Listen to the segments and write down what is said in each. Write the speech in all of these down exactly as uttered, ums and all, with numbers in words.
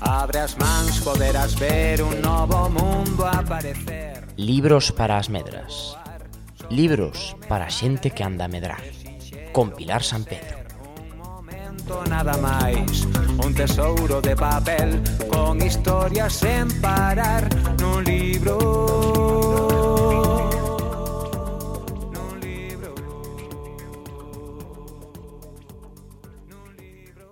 Abre as mans, poderás ver un novo mundo aparecer. Libros para as medras. Libros para a xente que anda a medrar. Con Pilar San Pedro. Un momento nada máis, un tesouro de papel con historias sen parar nun libro. Nun libro. Nun libro.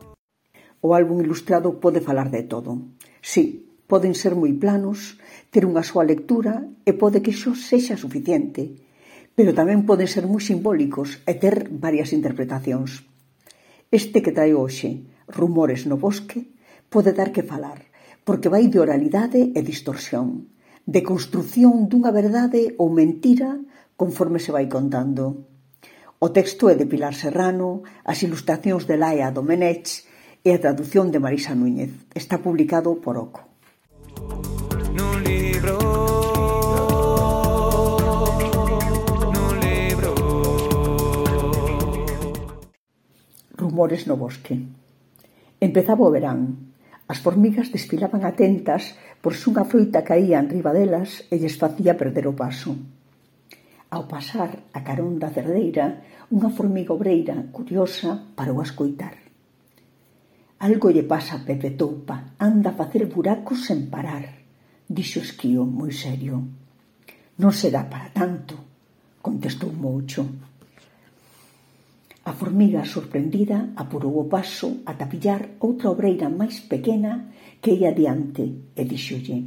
O álbum ilustrado pode falar de todo. Sí, poden ser moi planos, ter unha soa lectura e pode que xo sexa suficiente, pero tamén poden ser moi simbólicos e ter varias interpretacións. Este que trae hoxe, Rumores no bosque, pode dar que falar, porque vai de oralidade e distorsión, de construción dunha verdade ou mentira conforme se vai contando. O texto é de Pilar Serrano, as ilustracións de Laia Domenech e a traducción de Marisa Núñez. Está publicado por Oco. Nun libro. Nun libro. Rumores no bosque. Empezaba o verán. As formigas desfilaban atentas por se unha froita caía enriba delas e lles facía perder o paso. Ao pasar a carón da cerdeira, unha formiga obreira, curiosa, parou a escoitar. Algo lle pasa a Pepe Toupa, anda a facer buracos sen parar, dixo Esquío moi serio. Non será para tanto, contestou Moucho. A formiga, sorprendida, apurou o paso ata pillar outra obreira máis pequena que ia adiante e díxolle: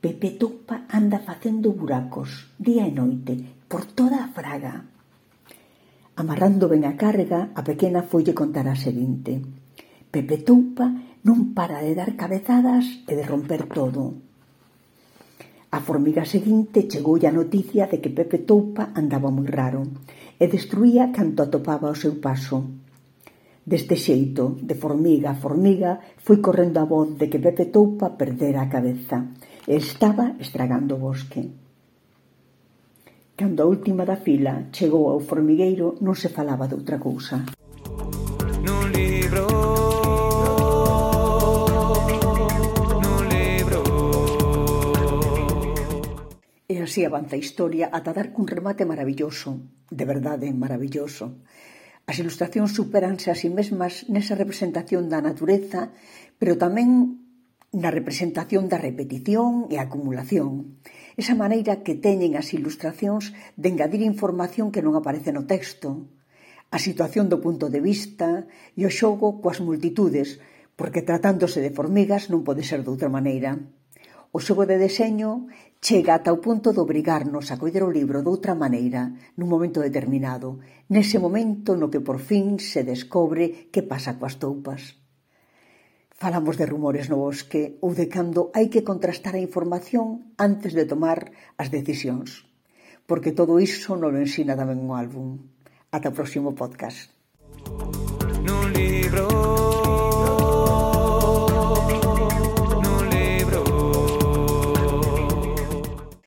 Pepe Toupa anda facendo buracos, día e noite, por toda a fraga. Amarrando ben a carga, a pequena foille contar a seguinte: Pepe Toupa non para de dar cabezadas e de romper todo. A formiga seguinte chegoulle a noticia de que Pepe Toupa andaba moi raro e destruía canto atopaba ao seu paso. Deste xeito, de formiga a formiga, foi correndo a voz de que Pepe Toupa perdera a cabeza e estaba estragando o bosque. Cando a última da fila chegou ao formigueiro, non se falaba de outra cousa. Nun libro. Nun libro. E así avanza a historia ata dar cun remate maravilloso, de verdade maravilloso. As ilustracións supéranse a si mesmas nesa representación da natureza, pero tamén na representación da repetición e acumulación. Esa maneira que teñen as ilustracións de engadir información que non aparece no texto, a situación do punto de vista e o xogo coas multitudes, porque tratándose de formigas non pode ser de outra maneira. O xogo de deseño chega ata o punto de obrigarnos a coller o libro de outra maneira, nun momento determinado, nese momento no que por fin se descobre que pasa coas toupas. Falamos de rumores no bosque ou de cando hai que contrastar a información antes de tomar as decisións, porque todo iso non lo ensina tamén o álbum. Ata o próximo podcast.